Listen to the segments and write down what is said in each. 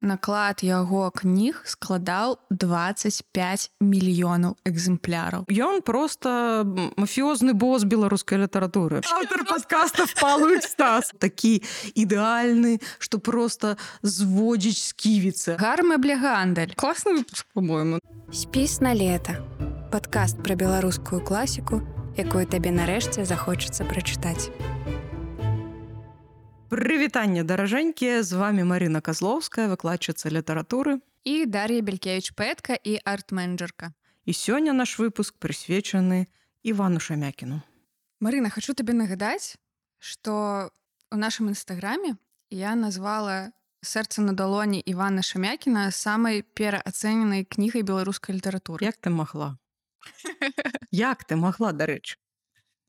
наклад яго кніг складаў 25 мільёнаў экземпляраў. Ён просто мафіозны босс беларускай літаратуры. Аўтар падкастаў «Палуй Стас». Такі ідэальны, што просто зводзіць сківіцы. Гармэблегандаль. Класны выпуск, по-моему. Спіс на лета. Падкаст пра беларускую класіку, якую табе нарэшце захочацца прачытаць. Прывітанне, даражэнькія, з вами Марына Казлоўская, выкладчыца літаратуры. І Дар'я Белькевіч, паэтка і арт-менеджерка. І сёння наш выпуск прысвечаны Івану Шамякіну. Марына, хочу табе нагадаць, што ў нашым інстаграме я назвала «Сэрца на далоні» Івана Шамякіна самай пераацэненай кнігай беларускай літаратуры. Як ты магла? Як ты магла, дарэчы?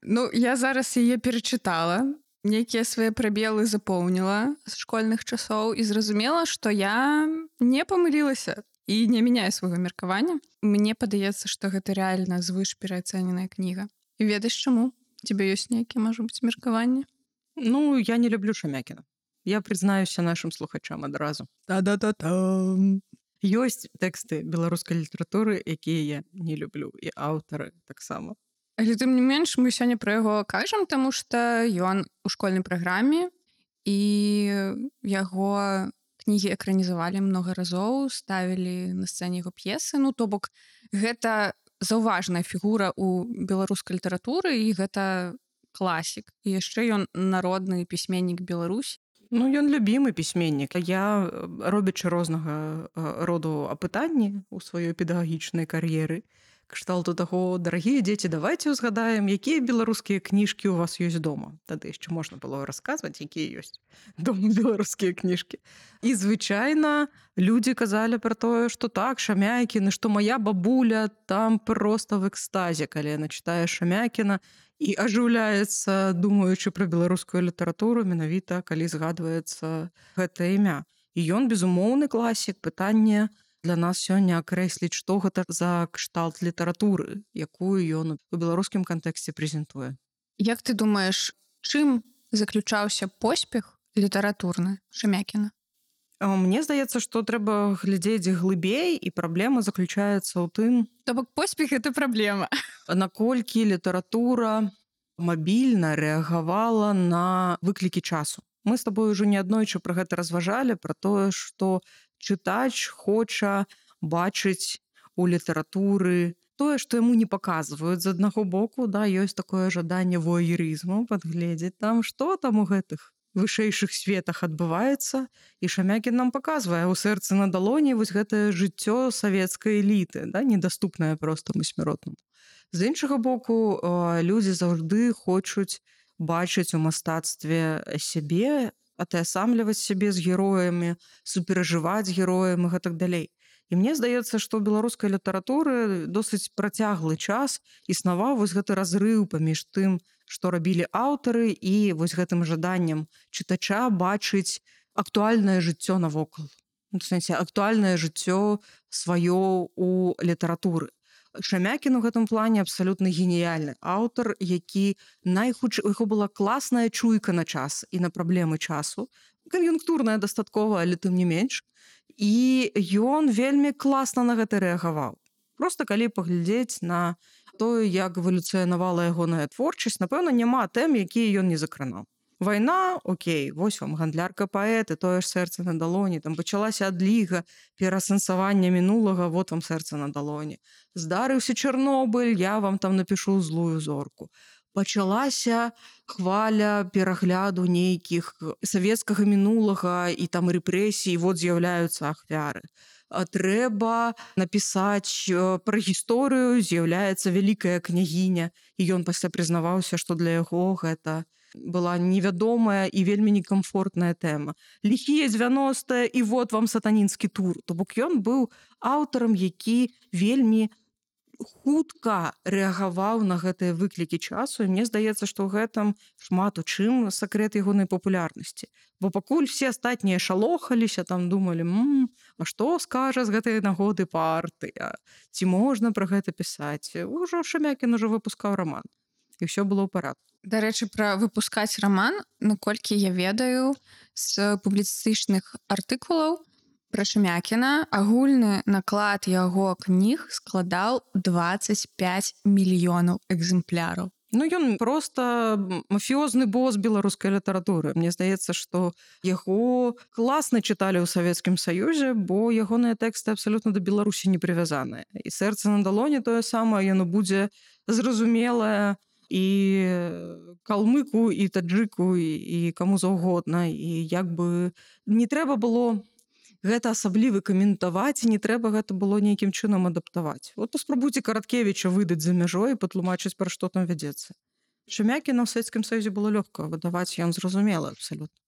Ну, я зараз яе перачытала, нейкія свае прабелы запоўніла з школьных часоў і зразумела, што я не памылілася і не мяняю свайго меркавання. Мне падаецца, што гэта рэальна звыш пераацэненая кніга. І ведаеш чаму? Тебе ёсць нейкія, можа быць, меркаванні? Ну, я не люблю Шамякіна. Я прызнаюся нашым слухачам адразу. Та-да-та-там. Ёсць тэксты беларускай літаратуры, якія я не люблю, і аўтары таксама. Але тым не менш, мы сёння пра яго кажам, таму што ён у школьнай праграме, і яго кнігі экранізавалі многа разоў, ставілі на сцэне яго п'есы. Ну, то бок, гэта заўважная фігура ў беларускай літаратуры, і гэта класік. І яшчэ ён народны пісьменнік Беларусі. Ну, ён любімы пісьменнік. Я, робячы рознага роду апытанні ў сваёй педагагічнай кар'еры, кшталту таго, дарагія дзеці, давайце ўзгадаем, якія беларускія кніжкі ў вас ёсць дома. Тады яшчэ можна было расказваць, якія ёсць дома беларускія кніжкі. І звычайна людзі казалі пра тое, што так, Шамякін, што мая бабуля там проста в экстазе, калі яна чытае Шамякіна і ажыўляецца, думаючы пра беларускую літаратуру, менавіта, калі згадваецца гэта імя. І ён, безумоўны класік. Пытанне для нас сёння акрэсліць, што гэта за кшталт літаратуры, якую ён у беларускім кантэксце прэзентуе. Як ты думаеш, чым заключаўся поспех літаратурны Шамякіна? Мне здаецца, што трэба глядзець глыбей, і праблема заключаецца ў тым... То бок поспех — гэта праблема. Наколькі літаратура мабільна рэагавала на выклікі часу. Мы з табой ужо неаднойчы пра гэта разважалі, пра тое, што чытач хоча бачыць у літаратуры тое, што яму не паказваюць. З аднаго боку, да, ёсць такое жаданне воерызму, падгледзець там, што там у гэтых вышэйшых светах адбываецца. І Шамякін нам паказвае ў «Сэрцы на далоні» вось гэтае жыццё савецкай эліты, да, недаступнае простаму смяротнаму. З іншага боку, людзі заўжды хочуць бачыць у мастацтве сябе, атаясамліваць сябе з героямі, суперажываць героям і гэтак далей. І мне здаецца, што ў беларускай літаратуры досыць працяглы час існаваў вось гэты разрыў паміж тым, што рабілі аўтары, і вось гэтым жаданнем чытача бачыць актуальнае жыццё навокал. У сэнсе, актуальнае жыццё сваё ў літаратуры. Шамякін у гэтым плане абсалютна геніяльны аўтар, які найхутчэй, у яго была класная чуйка на час і на праблемы часу, кан'юнктурная дастаткова, але тым не менш, і ён вельмі класна на гэта рэагаваў. Проста калі паглядзець на тое, як эвалюцыянавала ягоная творчасць, напэўна, няма тэм, якія ён не закранаў. Вайна, окей, вось вам гандлярка паэты, тое ж «Сэрца на далоні», там пачалася адліга, пераасэнсавання мінулага, вот вам «Сэрца на далоні». Здарыўся Чарнобыль, я вам там напішу «Злую зорку». Пачалася хваля перагляду нейкіх савецкага мінулага і там рэпрэсій, вот з'яўляюцца ахвяры. Трэба напісаць пра гісторыю, з'яўляецца вялікая княгіня, і ён пасля прызнаваўся, што для яго гэта была невядомая і вельмі некамфортная тэма. Ліхія 90-е, і вот вам сатанінскі тур. То бок ён быў аўтарам, які вельмі хутка рэагаваў на гэтыя выклікі часу, і мне здаецца, што ў гэтым шмат у чым сакрэт ягонай папулярнасці. Бо пакуль все астатнія шалохаліся, там думалі, а што скажа з гэтай нагоды партыя? Ці можна пра гэта пісаць? Ужо Шамякін ужо выпускаў раман. І ўсё было ў парадку. Дарэчы, пра выпускаць раман, наколькі я ведаю з публіцыстычных артыкулаў, Пра Шамякіна агульны наклад яго кніг складаў 25 мільёнаў экземпляраў. Ну, ён проста мафіозны босс беларускай літаратуры. Мне здаецца, што яго класна чыталі ў Савецкім Саюзе, бо ягоныя тэксты абсалютна да Беларусі не прывязаныя. І «Сэрца на далоні» тое самае, яно будзе зразумелае і калмыку, і таджыку, і каму заўгодна. І як бы не трэба было гэта асабліва каментаваць, не трэба гэта было нейкім чынам адаптаваць. Вот паспрабуйце Караткевіча выдаць за мяжой і патлумачыць, пра што там вядзецца. Шамякіна ў Савецкім Саюзе было лёгка выдаваць, ён зразумела абсалютна.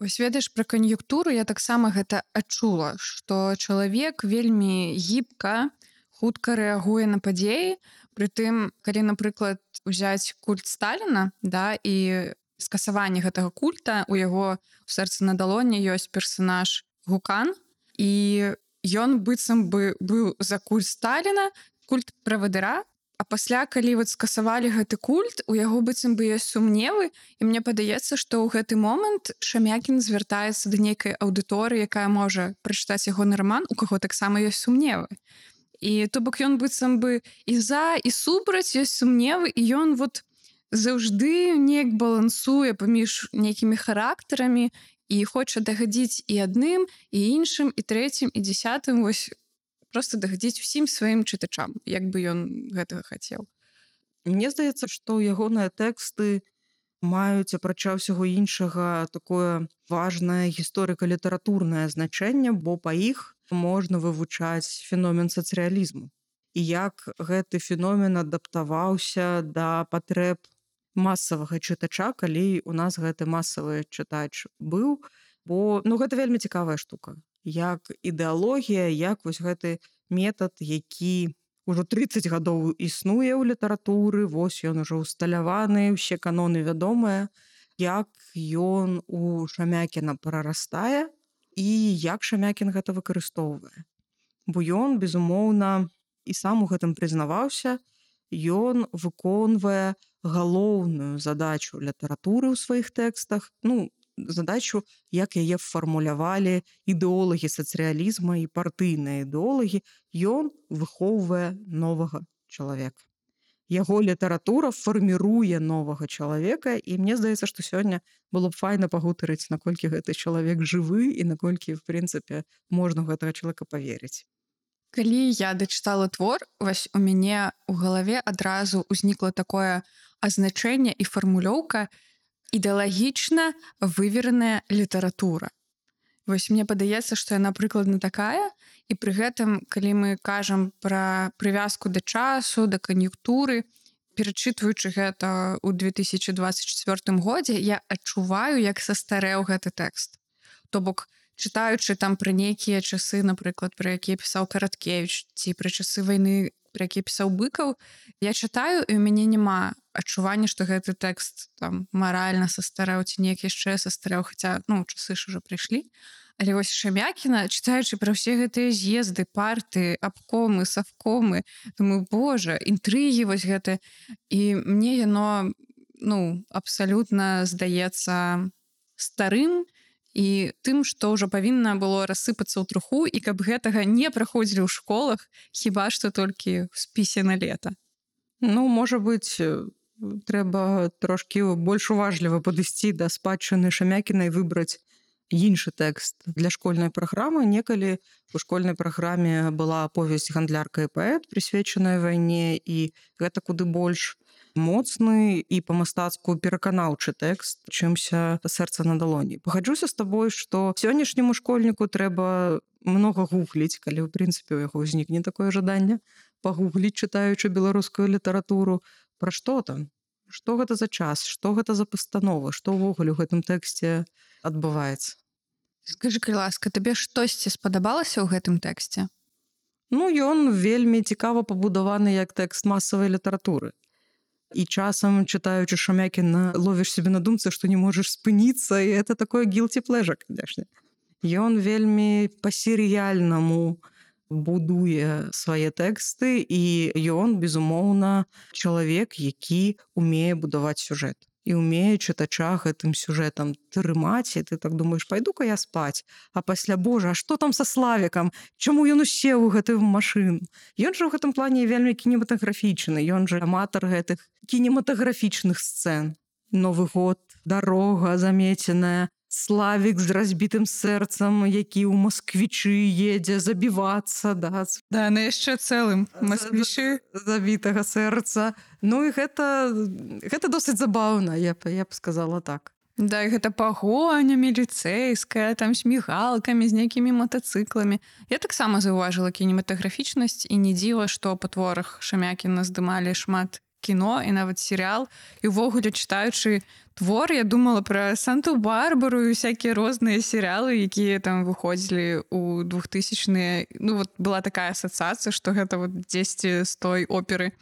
Вось ведаеш, пра кан'юнктуру я таксама гэта адчула, што чалавек вельмі гібка, хутка рэагуе на падзеі. Прытым, калі, напрыклад, узяць культ Сталіна, да, і скасаванне гэтага культа, у яго ў «Сэрцы на далоні» ёсць персанаж Гукан, і ён быццам бы быў за культ Сталіна, культ правадыра, а пасля, калі вот скасавалі гэты культ, у яго быццам бы ёсць сумневы, і мне падаецца, што ў гэты момант Шамякін звяртаецца да нейкай аўдыторыі, якая можа прачытаць ягоны раман, у каго таксама ёсць сумневы. І то бок ён быццам бы і за, і супраць ёсць сумневы, і ён вот заўжды неяк балансуе паміж нейкімі характарамі, і хоча дагадзіць і адным, і іншым, і трэцім, і дзесятым, вось проста дагадзіць усім сваім чытачам, як бы ён гэтага хацеў. Мне здаецца, што ягоныя тэксты маюць, апрача ўсяго іншага, такое важнае гісторыка-літаратурнае значэнне, бо па іх можна вывучаць феномен сацыялізму. І як гэты феномен адаптаваўся да патрэб масавага чытача, калі у нас гэты масавы чытач быў, бо гэта вельмі цікавая штука. Як ідэалогія, як вось гэты метад, які ўжо 30 гадоў існуе ў літаратуры, вось ён ужо усталяваны, усе каноны вядомыя, як ён у Шамякіна прарастае і як Шамякін гэта выкарыстоўвае. Бо ён, безумоўна, і сам у гэтым прызнаваўся, ён выконвае галоўную задачу літаратуры ў сваіх тэкстах, задачу, як яе фармулявалі ідэолагі сацыялізма і партыйныя ідэолагі, ён выхоўвае новага чалавека. Яго літаратура фарміруе новага чалавека, і мне здаецца, што сёння было б файна пагутарыць, наколькі гэты чалавек жывы і наколькі, в прынцыпе, можна гэтага чалавека паверыць. Калі я дачытала твор, вось у мяне ў галаве адразу ўзнікла такое азначэнне і фармулёўка ідэалагічна вывераная літаратура. Вось мне падаецца, што яна прыкладна такая, і пры гэтым, калі мы кажам пра прывязку да часу, да кан'юнктуры, перачытваючы гэта ў 2024 годзе, я адчуваю, як састарэў гэты тэкст. То бок, чытаючы там пра нейкія часы, напрыклад, пра якія пісаў Караткевіч, ці пра часы вайны, пра якія пісаў Быкаў, я чытаю, і ў мяне няма адчування, што гэты тэкст там маральна састарэў, ці неяк яшчэ састарэў, хаця, часы ж ужо прыйшлі. Але вось Шамякіна, чытаючы пра ўсе гэтыя з'езды, парты, абкомы, савкомы, думаю, божа, інтрыгі вось гэта. І мне яно, абсалютна здаецца старым, і тым, што ўжо павінна было рассыпацца ў труху, і каб гэтага не праходзілі ў школах, хіба што толькі ў спісе на лета. Можа быць, трэба трошкі больш уважліва падысці да спадчыны Шамякіна і выбраць іншы тэкст для школьнай праграмы. Некалі у школьнай праграме была аповесць «Гандлярка і паэт», прысвечаная вайне, і гэта куды больш моцны і па-мастацку пераканаўчы тэкст, чымся «Сэрца на далоні». Пагаджуся з табой, што сённяшняму школьніку трэба многа гугліць, калі, ў прынцыпе, у яго ўзнікне такое жаданне, пагугліць, чытаючы беларускую літаратуру. Пра што там? Што гэта за час? Што гэта за пастанова? Што ўвогуле ў гэтым тэксце адбываецца? Скажы, калі ласка, табе штосьці спадабалася ў гэтым тэксце? Ён вельмі цікава пабудаваны як тэкст масавай літаратуры. І часам, чытаючы Шамякіна, ловіш себе на думцы, што не можаш спыніцца, і это такое guilty pleasure, конечно. Ён вельмі па-серыяльнаму будуе свае тэксты, і ён, безумоўна, чалавек, які умее будаваць сюжэт. і ўмее чытача гэтым сюжэтам трымаць, і ты так думаеш, пайду-ка я спаць, а пасля, божа, а што там са Славікам? Чаму ён усеў у гэтую машыну? Ён жа ў гэтым плане вельмі кінематаграфічны, ён жа аматар гэтых кінематаграфічных сцэн. Новы год, дарога замеценая, Славік з разбітым сэрцам, які ў Масквічы едзе забівацца, да, на яшчэ цэлым Масквічы забітага сэрца. Ну і гэта досыць забаўна, я б сказала так. Да, і гэта пагоня міліцэйская, там з мігалкамі, з нейкімі матацыкламі. Я таксама заўважыла кінематаграфічнасць, і не дзіва, што па творах Шамякіна здымалі шмат кіно і нават серыял. І ўвогуле, чытаючы твор, я думала пра Санту-Барбару і всякія розныя серыялы, якія там выходзілі ў 2000-е. Ну, вот была такая асацыяцыя, што гэта вот дзесьці з той оперы.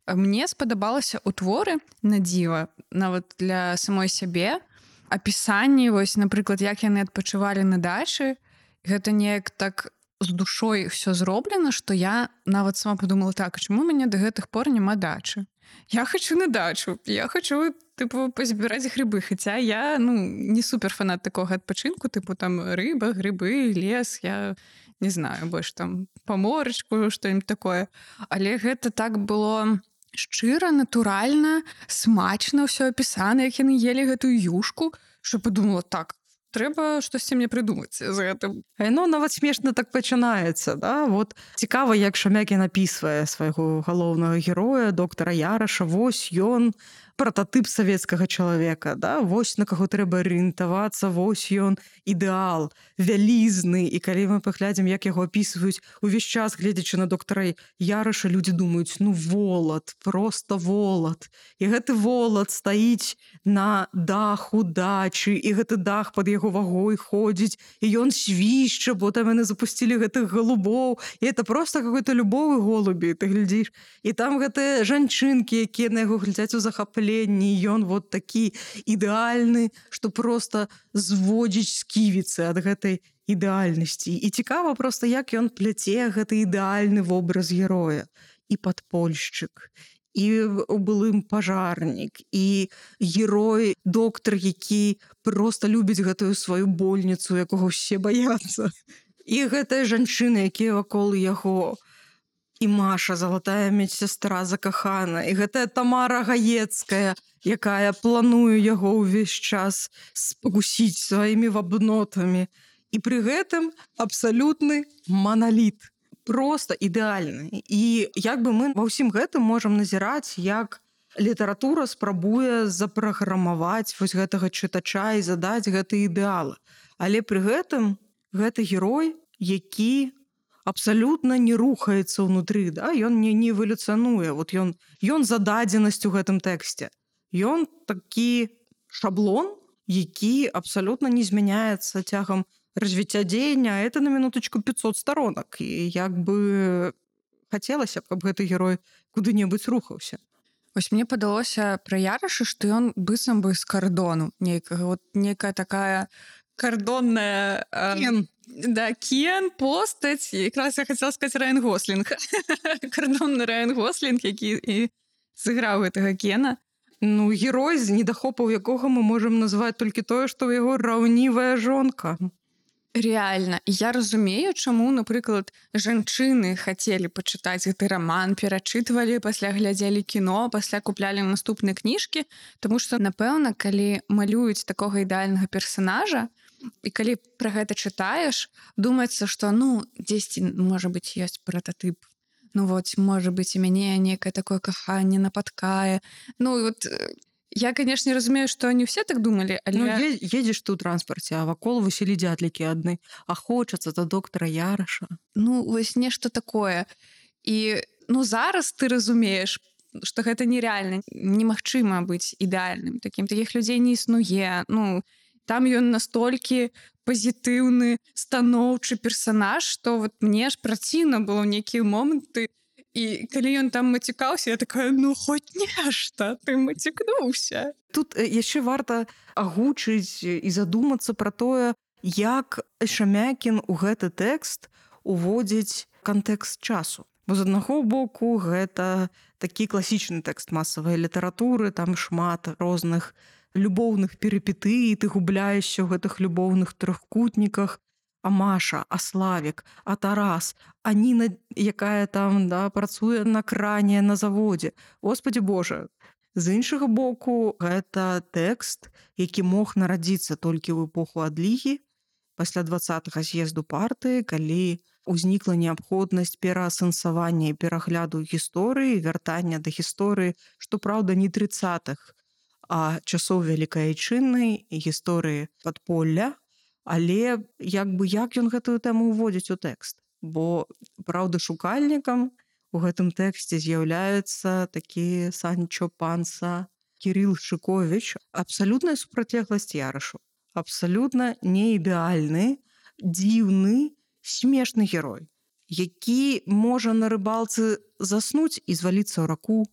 Мне спадабалася ў творы, на дзіва, нават для самой сябе, апісанні, вось, напрыклад, як яны адпачывалі на дачы. Гэта неяк так з душой все зроблена, што я нават сама подумала, так, чаму у мяне да гэтых пор няма дачы? Я хочу на дачу, я хочу, типу, позбирать грибы, хаця я, не супер фанат такога адпачынку, типу, там, рыба, грибы, лес, я не знаю, больш там паморачку, што-нибудь такое. Але гэта так было шчыра, натуральна, смачна ўсё апісана, як яны елі гэтую юшку, што подумала, так, трэба штосьці мне прыдумаць з гэтым. Яно нават смешна так пачынаецца, да? Вот цікава, як Шамякін апісвае свайго галоўнага героя, доктара Яраша. Вось ён прататып савецкага чалавека, да? Вось на каго трэба арыентавацца, вось ён ідэал, вялізны. І калі мы паглядзім, як яго апісваюць увесь час, гледзячы на доктара Яраша, людзі думаюць, волат, просто волат. І гэты волат стаіць на даху дачы, і гэты дах пад яго вагой ходзіць, і ён свішча, бо там яны запусцілі гэтых голубоў, і это просто какой-то любовы голубі, ты глядзіш. І там гэтыя жанчынкі, якія на яго глядзяць у захапленні, ён вот такі ідэальны, што просто зводзіць сківіцы ад гэтай ідэальнасці. І цікава просто, як ён пляце гэты ідэальны вобраз героя. І падпольшчык, і у былым пажарнік, і герой, доктар, які просто любіць гэтую сваю больніцу, якога ўсе баяцца. І гэтая жанчына, якія вакол яго, і Маша, залатая медсястра закахана, і гэтая Тамара Гаецкая, якая плануе яго ўвесь час спакусіць сваімі вабнотамі. І пры гэтым абсалютны маналіт. Просто ідэальны. І як бы мы ва ўсім гэтым можам назіраць, як літаратура спрабуе запраграмаваць вось гэтага чытача і задаць гэты ідэалы. Але пры гэтым гэты герой, які абсалютна не рухаецца ўнутры, да? Ён не эвалюцыянуе. Вот ён зададзенасць у гэтым тэксце. Ён такі шаблон, які абсалютна не змяняецца цягам развіцця дзеяння, это на минуточку 500 сторонак. І як бы хацелася б, каб гэты герой куды-небудзь рухаўся. Вось мне падалося пра Яраша, што ён быццам бы з кардону нейкага, вот нейкая такая кардонная... Кен. Да, Кен, постаць. Якраз я хацела сказаць Райан Гослінг. Кардонны Райан Гослінг, які і сыграў гэтага Кена. Герой, з недахопаў якога мы можам назваць толькі тое, што ў яго раўнівая жонка. Реально. Я разумею, чаму, напрыклад, жанчыны хацелі пачытаць гэты раман, перачытвалі, пасля глядзелі кіно, пасля куплялі наступныя кніжкі, таму што, напэўна, калі малююць такога ідэальнага персанажа, і калі пра гэта чытаеш, думаецца, што, дзесьці, можа быць, ёсць прататып. Вот, можа быць, і мяне некае такое каханне напаткае. Я, конечно, разумею, што не ўсе так думалі, але... Едзеш ты ў транспарце, а вакол высілі дзятлікі адны, а хочацца да доктара Яраша. Вось нешта такое. І, зараз ты разумееш, што гэта нереальна, немагчыма быць ідэальным такім. Такіх людзей не існуе. Там ён настолькі пазітыўны, станоўчы персанаж, што вот мне ж праціўна было ў нейкія моманты. І калі ён там мацікаўся, я такая, хоць нешта, ты мацікнуўся. Тут яшчэ варта агучыць і задумацца пра тое, як Шамякін у гэты тэкст уводзіць кантэкст часу. Бо з аднаго боку гэта такі класічны тэкст масавай літаратуры, там шмат розных любоўных перыпетый, ты губляешся ў гэтых любоўных трохкутніках. А Маша, а Славік, а Тарас, а Ніна, якая там працуе на кране на заводзе. Господі Божа. З іншага боку, гэта тэкст, які мог нарадзіцца толькі ў эпоху адлігі, пасля 20-го з'езду партыі, калі ўзнікла неабходнасць пераасэнсавання і перагляду гісторыі, вяртання да гісторыі, што праўда не 30-х, а часоў Вялікай Айчыннай, гісторыі падполля. Але як ён гэтую тэму ўводзіць у тэкст? Бо праўдашукальнікам у гэтым тэксце з'яўляецца такі Санчо Панса Кірыл Шыковіч, абсалютная супрацьлегласць Ярашу, абсалютна неідэальны, дзіўны, смешны герой, які можа на рыбалцы заснуць і зваліцца ў раку,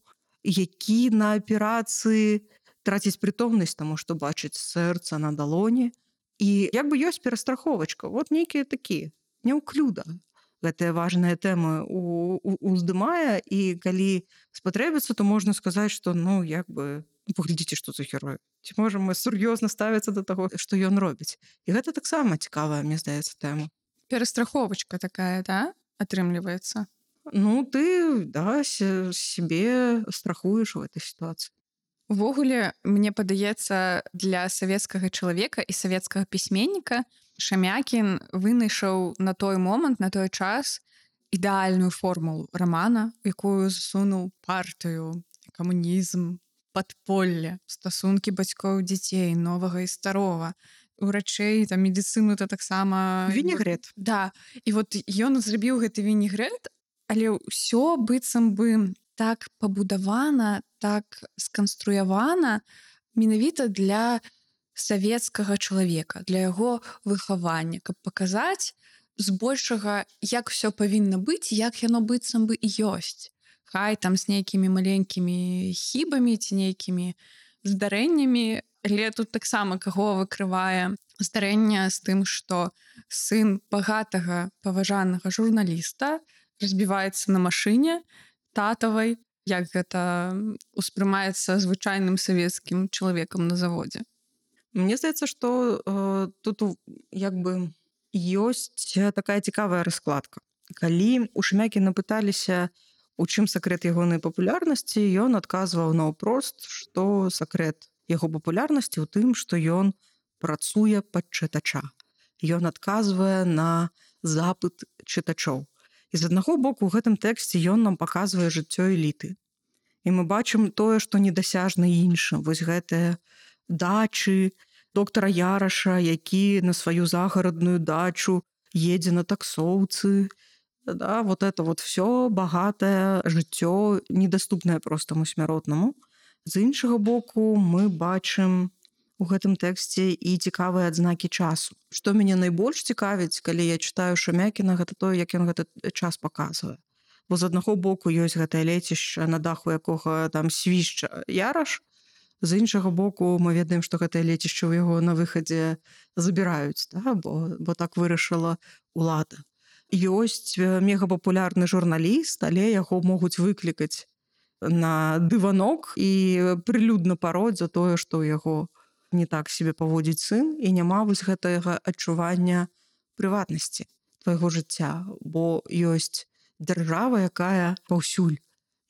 які на аперацыі траціць прытомнасць, таму што бачыць сэрца на далоні. І як бы ёсць перастраховачка, вот нейкія такія, няўклюда. Гэтыя важныя тэмы уздымае, і калі спатрэбіцца, то можна сказаць, што як бы паглядзіце, што за герой. Ці можам мы сур'ёзна ставіцца да таго, што ён робіць. І гэта таксама цікавая, мне здаецца, тэма. Перастраховачка такая, да, атрымліваецца? Ты, сябе страхуеш у гэтай сітуацыі. Увогуле, мне падаецца, для савецкага чалавека і савецкага пісьменніка Шамякін вынайшаў на той момант, на той час ідэальную формулу рамана, якую засунуў партыю, камунізм, падполле, стасункі бацькоў дзяцей, новага і старога, урачэй, там, медыцыну, то таксама... Вінегрэт. Да, і вот ён зрабіў гэты вінегрэт, але ўсё быццам бы так пабудавана, так сканструявана менавіта для савецкага чалавека, для яго выхавання, каб паказаць збольшага, як усё павінна быць, як яно быццам бы і ёсць. Хай там з нейкімі маленькімі хібамі ці нейкімі здарэннямі, але тут таксама каго выкрывае здарэнне з тым, што сын багатага паважанага журналіста разбіваецца на машыне татавай, як гэта ўспрымаецца звычайным савецкім чалавекам на заводзе. Мне здаецца, што тут як бы ёсць такая цікавая раскладка. Калі у Шамякіна пыталіся, у чым сакрэт ягонай папулярнасці, ён адказваў наўпрост, што сакрэт яго папулярнасці ў тым, што ён працуе пад чытача. Ён адказвае на запыт чытачоў. І з аднаго боку, у гэтым тэксце ён нам паказвае жыццё эліты. І мы бачым тое, што недасяжна іншым. Вось гэтыя дачы доктара Яраша, які на сваю загарадную дачу едзе на таксоўцы. Вот это вот всё багатае жыццё, недаступнае простаму смяротнаму. З іншага боку, мы бачым у гэтым тэксце і цікавыя адзнакі часу. Што мяне найбольш цікавіць, калі я чытаю Шамякіна, гэта тое, як ён гэты час паказвае. Бо з аднаго боку ёсць гэтае лецішча, на даху якога там свішча Яраш, з іншага боку мы ведаем, што гэтае лецішча ў яго на выхадзе забіраюць, бо так вырашыла ўлада. Ёсць мегапапулярны журналіст, але яго могуць выклікаць на дыванок і прылюдна пароць за тое, што ў яго не так себе паводзіць сын, і няма вось гэтага адчування прыватнасці твайго жыцця, бо ёсць дзяржава, якая паўсюль,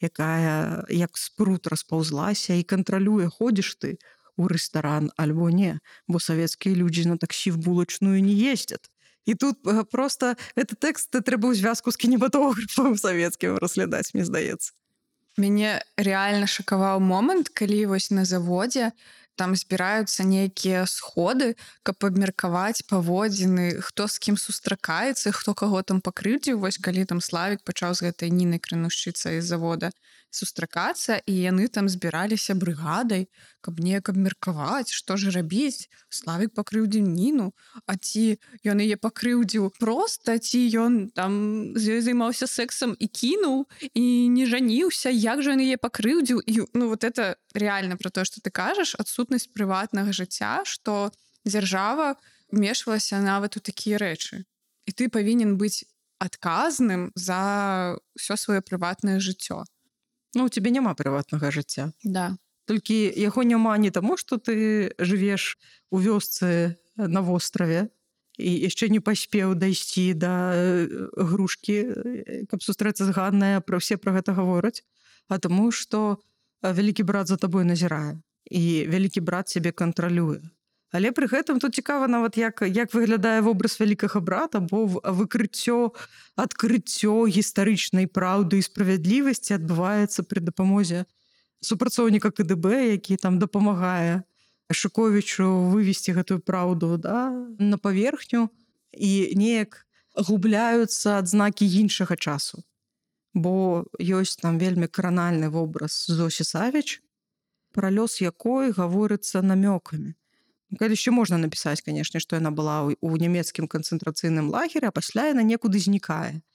якая як спрут распаўзлася і кантралюе, ходзіш ты ў рэстаран альбо не, бо савецкія людзі на таксі в булачную не ездзяць. І тут просто гэты тэкст трэба ў звязку з кінематографам савецкім разглядаць, мне здаецца. Мяне рэальна шакаваў момант, калі вось на заводзе там збіраюцца нейкія сходы, каб абмеркаваць паводзіны, хто з кім сустракаецца, хто каго там пакрыўдзіў. Вось калі там Славік пачаў з гэтай Нінай Кранушчыцай з завода сустракацца, і яны там збіраліся брыгадай, каб неяк абмеркаваць, што ж рабіць. Славік пакрыўдзіў Ніну, а ці ён яе пакрыўдзіў проста, ці ён там з ёй займаўся сексам і кінуў, і не жаніўся, як жа ён яе пакрыўдзіў. І вот это реально про то, што ты кажаш, адсутнасць прыватнага жыцця, што дзяржава вмешвалася нават у такія рэчы. І ты павінен быць адказным за ўсё сваё прыватнае жыццё. Ну, у цябе няма прыватнага жыцця. Да. Толькі яго няма не таму, што ты жывеш у вёсцы на востраве і яшчэ не паспеў дайсці да грушкі, каб сустрэцца з Ганнай, пра ўсе пра гэта гавораць, а таму, што вялікі брат за табой назірае і вялікі брат цябе кантралюе. Але пры гэтым тут цікава нават як выглядае вобраз вялікага брата, бо адкрыццё гістарычнай праўды і справядлівасці адбываецца пры дапамозе супрацоўніка КДБ, які там дапамагае Шуковічу вывесці гэтую праўду, да, на паверхню, і неяк губляюцца адзнакі іншага часу. Бо ёсць там вельмі кранальны вобраз Зосі Савіч, пра лёс якой гаворыцца намёкамі. Калі яшчэ можна напісаць, канешне, што яна была ў нямецкім канцэнтрацыйным лагеры, а пасля яна некуды знікае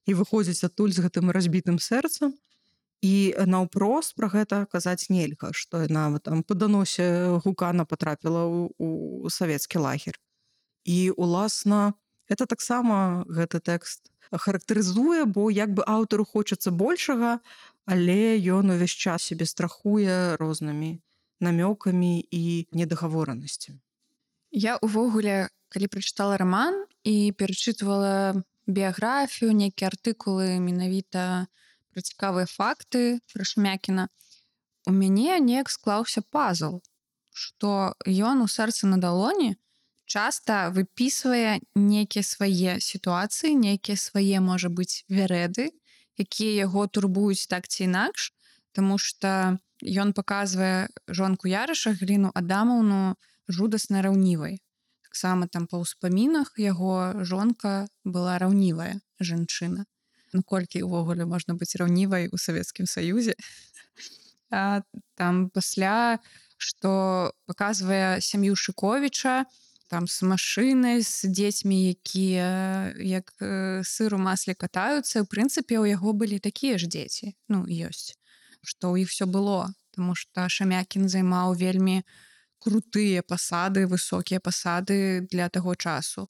і выходзіць адтуль з гэтым разбітым сэрцам. І наўпрост пра гэта казаць нельга, што яна там па даносе Гукана патрапіла ў савецкі лагер. І, уласна, гэта таксама гэты тэкст характарызуе, бо як бы аўтару хочацца большага, але ён увесь час сябе страхуе рознымі намёкамі і недагаворанасцямі. Я ўвогуле, калі прачытала раман і перачытвала біяграфію, нейкія артыкулы менавіта пра цікавыя факты пра Шамякіна, у мяне неяк склаўся пазл, што ён у сэрцы на далоні часта выпісвае нейкія свае сітуацыі, нейкія свае, можа быць, вярэды, якія яго турбуюць так ці інакш, таму што ён паказвае жонку Ярыша, Галіну Адамаўну, жудасна раўнівай. Таксама там па ўспамінах яго жонка была раўнівая жанчына. Колькі ўвогуле можна быць раўнівай у Савецкім Саюзе. Там пасля, што паказвае сям'ю Шуковіча, там з машынай, з дзецьмі, якія як сыр у масле катаюцца. У прынцыпе, у яго былі такія ж дзеці. Ну, ёсць. Што ў іх все было. Таму што Шамякін займаў вельмі крутыя пасады, высокія пасады для таго часу.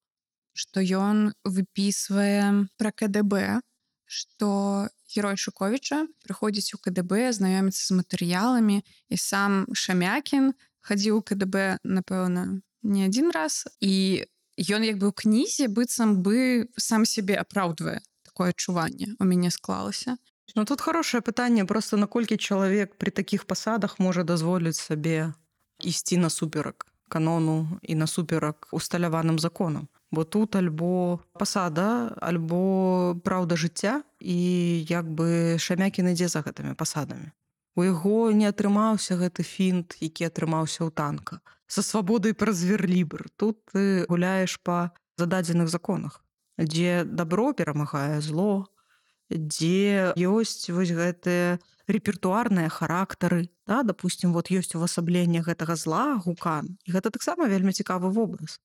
Што ён выпісвае пра КДБ, што герой Шуковіча прыходзіць у КДБ, знаёміцца з матэрыяламі, і сам Шамякін хадзіў у КДБ, напэўна, не адзін раз, і ён як бы ў кнізе быццам бы сам сябе апраўдвае. Такое адчуванне у мяне склалася. Ну, тут хорошее пытанне, просто наколькі чалавек пры такіх пасадах можа дазволіць сабе ісці насуперак канону і насуперак усталяваным законам. Бо тут альбо пасада, альбо праўда жыцця, і як бы Шамякін ідзе за гэтымі пасадамі. У яго не атрымаўся гэты фінт, які атрымаўся ў танка. Са свабодай праз верлібр. Тут ты гуляеш па зададзеных законах, дзе дабро перамагае зло, дзе ёсць вось гэтыя рэпертуарныя характары. Да? Допустим, вот ёсць увасабленне гэтага зла, Гукан. І гэта таксама вельмі цікавы вобраз.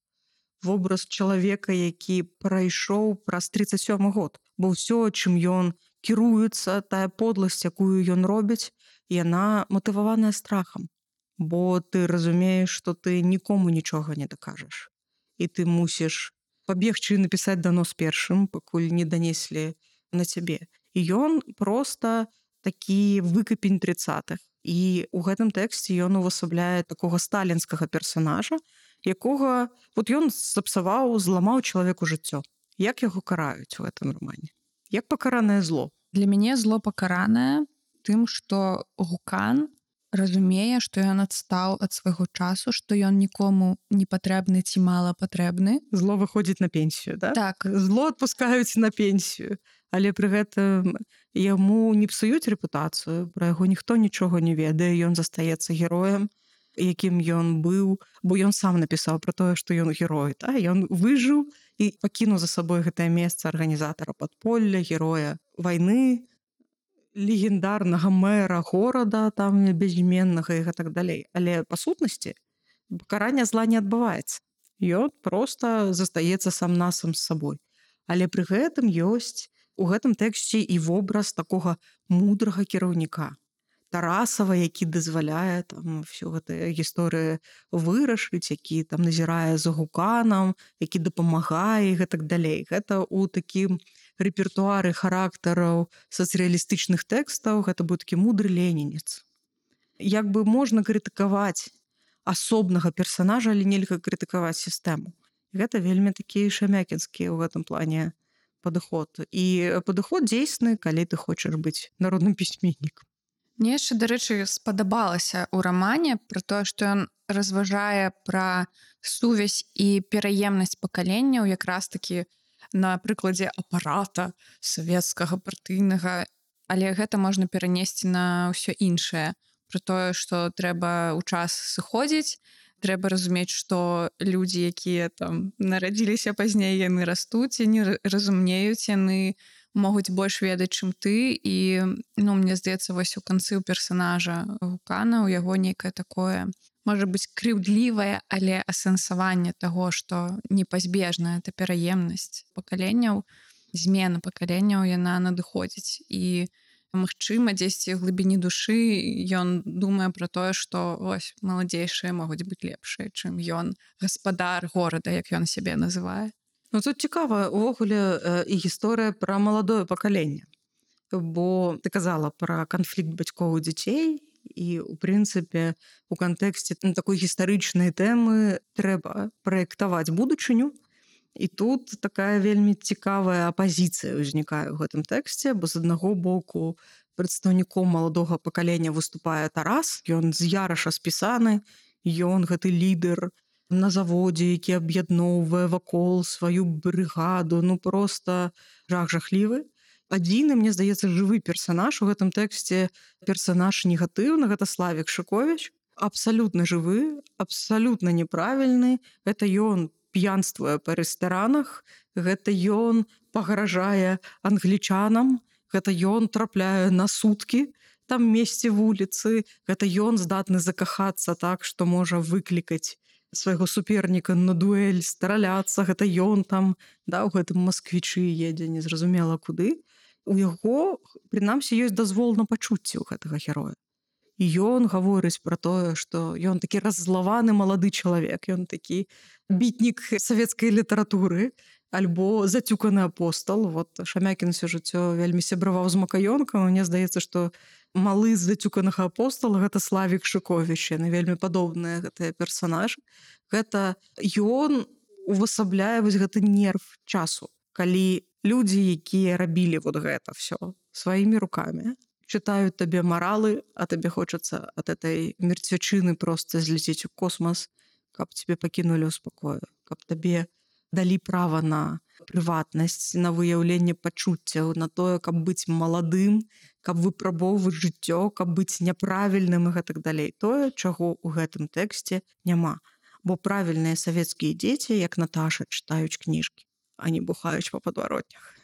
Вобраз чалавека, які прайшоў праз 37 год. Бо ўсё, чым ён кіруецца, тая подласць, якую ён робіць, яна матываваная страхам. Бо ты разумееш, што ты нікому нічога не дакажаш. І ты мусіш пабегчы і напісаць данос першым, пакуль не данеслі на цябе. І ён проста такі выкапень 30-х. І ў гэтым тэксце ён увасабляе такога сталінскага персанажа, якога вот ён сапсаваў, зламаў чалавеку жыццё. Як яго караюць у гэтым рамане? Як пакаранае зло? Для мяне зло пакаранае тым, што Гукан разумее, што ён адстаў ад свайго часу, што ён нікому не патрэбны ці мала патрэбны. Зло выходзіць на пенсію, да? Так. Зло адпускаюць на пенсію. Але пры гэтым яму не псуюць рэпутацыю, пра яго ніхто нічога не ведае, ён застаецца героем, якім ён быў, бо ён сам напісаў пра тое, што ён герой. Да? Ён выжыў і пакінуў за сабой гэтае месца арганізатара падполля, героя вайны, легендарнага мэра горада, там безіменнага і гэтак далей. Але па сутнасці пакарання зла не адбываецца. Ён проста застаецца сам-насам з сабой. Але пры гэтым ёсць у гэтым тэксце і вобраз такога мудрага кіраўніка. Тарасава, які дазваляе там всю гэтую гісторыю вырашыць, які там назірае за Гуканам, які дапамагае і гэтак далей. Гэта ў такім рэпертуары характараў сацыялістычных тэкстаў, гэта быў такі мудры ленінец. Як бы можна крытыкаваць асобнага персанажа, але нельга крытыкаваць сістэму. Гэта вельмі такі шамякінскі ў гэтым плане падыход. І падыход дзейсны, калі ты хочаш быць народным пісьменнікам. Мне яшчэ, дарэчы, спадабалася ў рамане пра тое, што ён разважае пра сувязь і пераемнасць пакаленняў якраз такі на прыкладзе апарата савецкага партыйнага, але гэта можна перанесці на ўсё іншае. Пра тое, што трэба ў час сыходзіць, трэба разумець, што людзі, якія там нарадзіліся пазней, яны растуць, яны разумеюць, яны могуць больш ведаць, чым ты. І мне здаецца, вось у канцы ў персанажа Гукана, у яго нейкае такое, можа быць, крыўдлівае, але асэнсаванне таго, што непазбежная это пераемнасць пакаленняў, змена пакаленняў, яна надыходзіць. І магчыма, дзесьці ў глыбіні душы ён думае пра тое, што вось маладзейшыя могуць быць лепшыя, чым ён гаспадар горада, як ён сябе называе. Ну, тут цікава увогуле і гісторыя пра маладое пакаленне. Бо ты казала пра канфлікт бацькоў і дзяцей, і у прынцыпе у кантэксце такой гістарычнай тэмы трэба праектаваць будучыню. І тут такая вельмі цікавая апазіцыя ўзнікае ў гэтым тэксце, бо з аднаго боку прадстаўніком маладога пакалення выступае Тарас, ён з Яраша спісаны, ён гэты лідар на заводзе, які аб'ядноўвае вакол сваю брыгаду, просто жах-жахлівы. Адзіны, мне здаецца, жывы персанаж у гэтым тэксце, персанаж негатыўны, гэта Славік Шыковіч, абсалютна жывы, абсалютна неправільны. Гэта ён п'янствуе па рэстаранах, гэта ён пагражае англічанам, гэта ён трапляе на суткі там месце вуліцы, гэта ён здатны закахацца так, што можа выклікаць свайго суперніка на дуэль, страляцца, гэта ён там, у гэтым масквічы едзе незразумела куды. У яго, прынамсі, ёсць дазвол на пачуцці ў гэтага героя. І ён гаворыць пра тое, што ён такі раззлаваны малады чалавек, ён такі бітнік савецкай літаратуры, альбо зацюканы апостал. Вот Шамякін усё жыццё вельмі сябраваў з Макаёнкам, мне здаецца, што малы з зацюканага апостала гэта Славік Шыковіч, яны вельмі падобныя гэтыя персанажы. Гэта ён увасабляе вось гэты нерв часу, калі людзі, якія рабілі вот гэта ўсё сваімі рукамі, чытаюць табе маралы, а табе хочацца ад этой мерцвячыны проста зляцець у космас, каб тебе пакінулі ў спакою, каб табе далі права на прыватнасць, на выяўленне пачуццяў, на тое, каб быць маладым, каб выпрабоўваць жыццё, каб быць няправільным і гэтак далей. Тое, чаго ў гэтым тэксце няма. Бо правільныя савецкія дзеці, як Наташа, чытаюць кніжкі, а не бухаюць па падваротнях.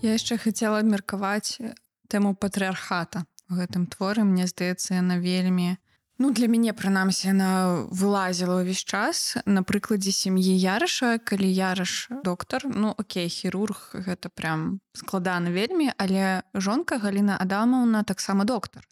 Я яшчэ хацела абмеркаваць тэму патрыархата у гэтым творы. Мне здаецца, яна вельмі, для мяне, прынамсі, яна вылазіла ўвесь час на прыкладзе сям'і Яраша, калі Яраш доктар, окей, хірург, гэта прям складана вельмі, але жонка Галіна Адамаўна таксама доктар,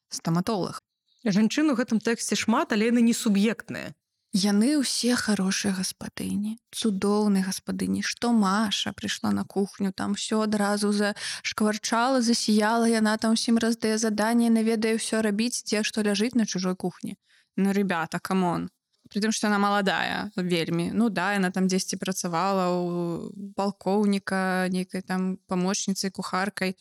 стаматолог. Жанчын у гэтым тэксце шмат, але яны не суб'ектныя. Яны ўсе хорошыя гаспадыні, цудоўныя гаспадыні. Што Маша прыйшла на кухню, там ўсё адразу зашкварчала, засіяла, яна там усім раздае заданне, наведае ўсё рабіць, дзе што ляжыць на чужой кухні. Ребята, камон. Пры тым, што яна маладая вельмі. Яна там дзесьці працавала у палкоўніка, нейкай там памочніцай, кухаркай.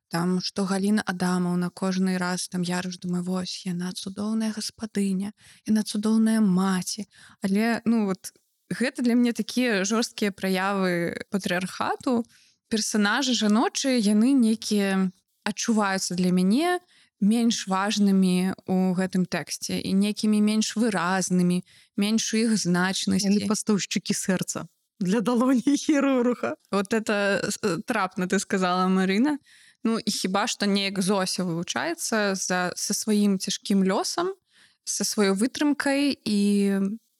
Там, што Галіна Адамаўна кожны раз, там Яраш думае, вось, яна цудоўная гаспадыня, яна цудоўная маці. Але, гэта для мяне такія жорсткія праявы патрыархату. Персанажы жаночыя, яны нейкія адчуваюцца для мяне менш важнымі ў гэтым тэксце і нейкімі менш выразнымі, менш у іх значнасці. Яны пастаўшчыкі сэрца для далоні хірурга. Вот это трапна ты сказала, Марына. І хіба што неяк Зося вылучаецца са сваім цяжкім лёсам, са сваёй вытрымкай і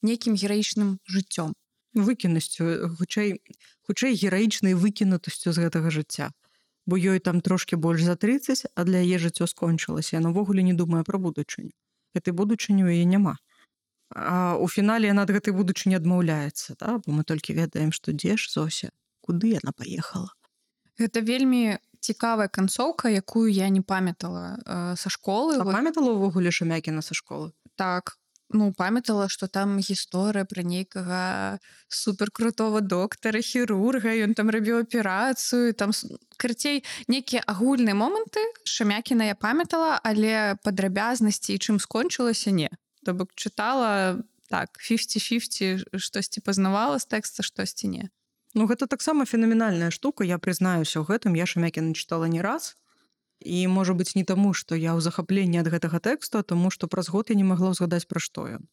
нейкім гераічным жыццём. Выкіннасцю, хутчэй гераічнай выкінутасцю з гэтага жыцця. Бо ёй там трошкі больш за 30, а для яе жыццё скончылася. Яна ўвогуле не думае пра будучыню. Гэтай будучыні ў яе няма. А у фінале яна ад гэтай будучыні адмаўляецца, да? Бо мы толькі ведаем, што дзе ж Зося, куды яна паехала. Гэта вельмі цікавая канцоўка, якую я не памятала са школы. А памятала ўвогуле Шамякіна са школы? Так, ну, памятала, што там гісторыя пра нейкага суперкрутого доктара, хірурга, ён там рабіў аперацыю, там, карацей, нейкія агульныя моманты Шамякіна я памятала, але падрабязнасці і чым скончылася, не. То бок чытала, так, 50-50, штосьці пазнавала з тэкста, штосьці не. Ну, гэта таксама фенаменальная штука, я прызнаюся ў гэтым, я Шамякіна чытала не раз. І, можа быць, не таму, што я ў захапленні ад гэтага тэксту, а таму, што праз год я не магла ўзгадаць, пра што ён.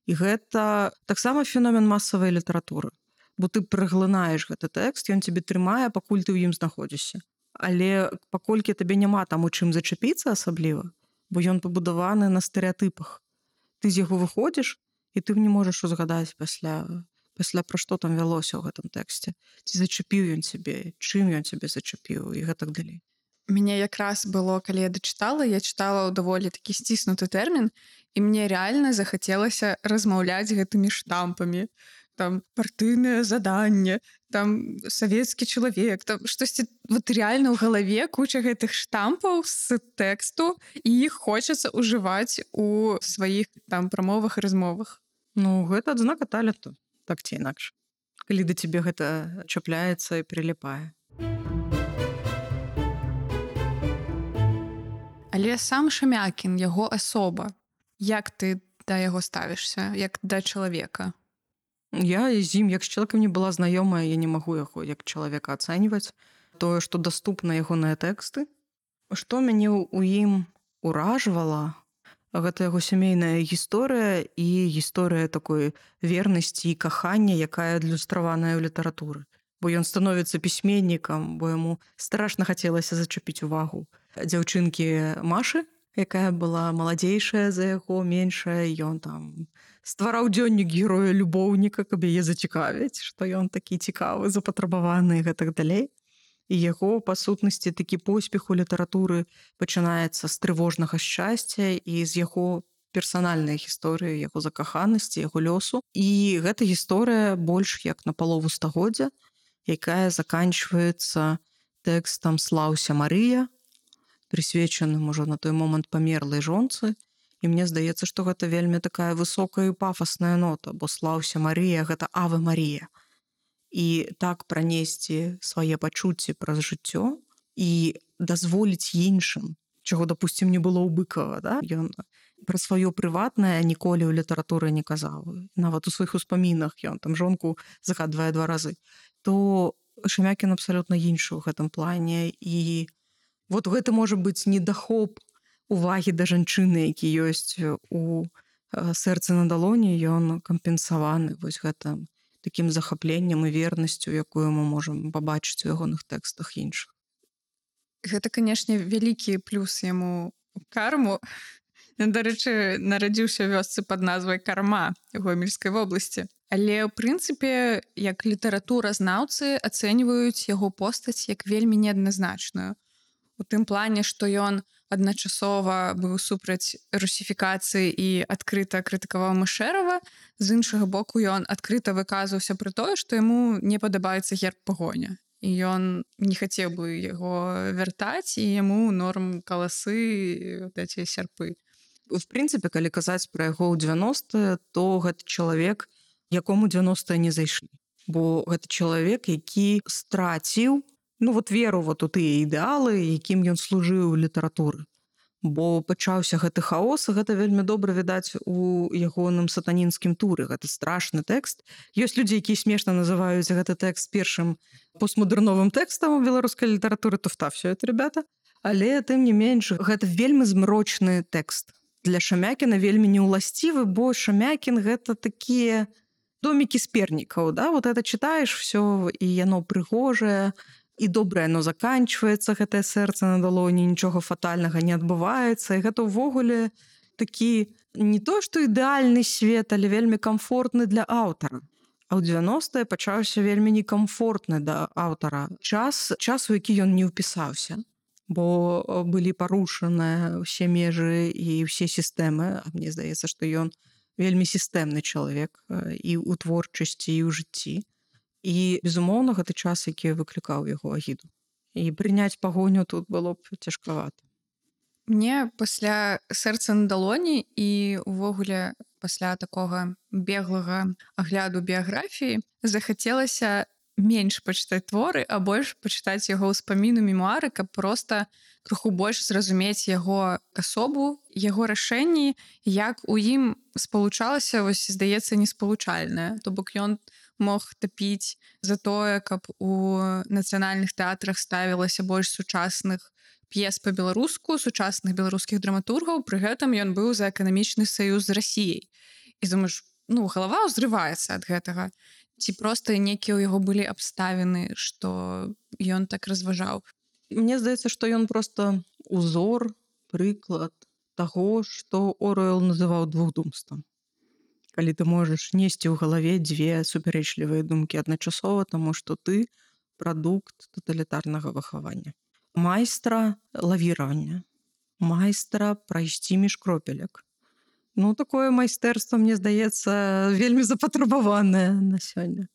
І гэта таксама феномен масавай літаратуры. Бо ты праглынаеш гэты тэкст, ён цябе трымае, пакуль ты ў ім знаходзішся. Але паколькі табе няма там у чым зачапіцца асабліва, бо ён пабудаваны на стэрэатыпах. Ты з яго выходзіш, і ты не можаш узгадаць пасля пра што там вялося ў гэтым тэксце. Ці зачапіў ён цябе, чым ён цябе зачапіў і гэтак далей. Мне якраз было, калі я дачытала, я чытала ў даволі такі сціснуты тэрмін, і мне рэальна захацелася размаўляць гэтымі штампамі. Там партыйнае заданне, там савецкі чалавек, там штосьці вот реально ў галаве куча гэтых штампаў з тэксту, і іх хочацца ўжываць у сваіх там прамовах і размовах. Ну, гэта адзнака таленту, так ці інакш. Калі да цябе гэта чапляецца і прыліпае. Але сам Шамякін, яго асоба, як ты да яго ставішся, як да чалавека? Я з ім, як з чалавекам не была знаёмая, я не магу яго як чалавека ацэньваць. Тое, што даступна ягоныя тэксты. Што мяне ў ім уражвала, гэта яго сямейная гісторыя і гісторыя такой вернасці і кахання, якая адлюстраваная ў літаратуры. Бо ён становіцца пісьменнікам, бо яму страшна хацелася зачапіць увагу дзяўчынкі Машы, якая была маладзейшая за яго, меншая, ён там ствараў дзённік героя-любоўніка, каб яе зацікавіць, што ён такі цікавы, запатрабаваны і гэтак далей. І яго, па сутнасці, такі поспех у літаратуры пачынаецца з трывожнага шчасця і з яго персанальнай гісторыі, яго закаханасці, яго лёсу. І гэта гісторыя больш як на палову стагоддзя, якая заканчваецца тэкстам «Слаўся Марыя», прысвечаным ужо на той момант памерлай жонцы. І мне здаецца, што гэта вельмі такая высокая і пафасная нота, бо «Слаўся Марія» — гэта «Аве Марія». І так пранесці свае пачуцці праз жыццё і дазволіць іншым, чаго, дапусцім, не было ў Быкава, да? Ён пра сваё прыватнае ніколі ў літаратуры не казаў. Нават у сваіх успамінах ён там жонку загадвае 2 разы. То Шамякін абсалютна іншы ў гэтым плане. І вот гэта можа быць недахоп увагі да жанчыны, які ёсць у «Сэрцы на далоні», ён кампенсаваны вось гэтым такім захапленнем і вернасцю, якую мы можам пабачыць у ягоных тэкстах іншых. Гэта, канешне, вялікі плюс яму карму. Ён, дарэчы, нарадзіўся ў вёсцы пад назвай Карма ў Гомельскай вобласці. Але, ў прынцыпе, як літаратуразнаўцы ацэньваюць яго постаць як вельмі неадназначную. У тым плане, што ён адначасова быў супраць русіфікацыі і адкрыта крытыкаваў Мышэрава, з іншага боку ён адкрыта выказваўся пра тое, што яму не падабаецца герб пагоня. І ён не хацеў бы яго вяртаць, і яму норм каласы, эти сярпы. В прынцыпе, калі казаць пра яго ў 90-е, то гэта чалавек, якому 90-е не зайшлі. Бо гэта чалавек, які страціў веру у тыя ідэалы, якім ён служыў у літаратуры. Бо пачаўся гэты хаос, і гэта вельмі добра відаць у ягоным сатанінскім туры. Гэта страшны тэкст. Ёсць людзі, якія смешна называюць гэты тэкст першым постмадэрновым тэкстам у беларускай літаратуры, то встався это, ребята. Але, тым не менш, гэта вельмі змрочны тэкст. Для Шамякіна вельмі неуласцівы, бо Шамякін гэта такія домікі з пернікаў, да? Вот это чытаеш всё, і яно прыгожае, і добра яно заканчваецца, гэтае «Сэрца на далоні», нічога фатальнага не адбываецца. І гэта ўвогуле такі не то, што ідэальны свет, але вельмі камфортны для аўтара. А ў 90-е пачаўся вельмі некамфортны да аўтара час, у які ён не ўпісаўся. Бо былі парушаныя ўсе межы і ўсе сістэмы. А мне здаецца, што ён вельмі сістэмны чалавек і ў творчасці, і ў жыцці. І, безумоўна, гэты час, які выклікаў яго агіду. І прыняць пагоню тут было б цяжкавата. Мне пасля сэрца на далоні і увогуле пасля такога беглага агляду біяграфіі захацелася менш пачытаць творы, а больш пачытаць яго ўспаміну, мемуары, каб проста крыху больш зразумець яго асобу, яго рашэнні, як у ім спалучалася, вось, здаецца, неспалучальнае. То бок ён мог тапіць за тое, каб у нацыянальных тэатрах ставілася больш сучасных п'ес па-беларуску, сучасных беларускіх драматургаў, пры гэтым ён быў за эканамічны саюз з Расіяй. І думаеш, галава ўзрываецца ад гэтага. Ці проста некія ў яго былі абставіны, што ён так разважаў. Мне здаецца, што ён проста узор, прыклад таго, што Оруэл называў двухдумствам. Калі ты можаш несці ў галаве дзве супярэчлівыя думкі адначасова, таму што ты прадукт таталітарнага выхавання. Майстра лавіравання, майстра прайсці між кропелек. Такое майстэрства, мне здаецца, вельмі запатрабаванае на сёння.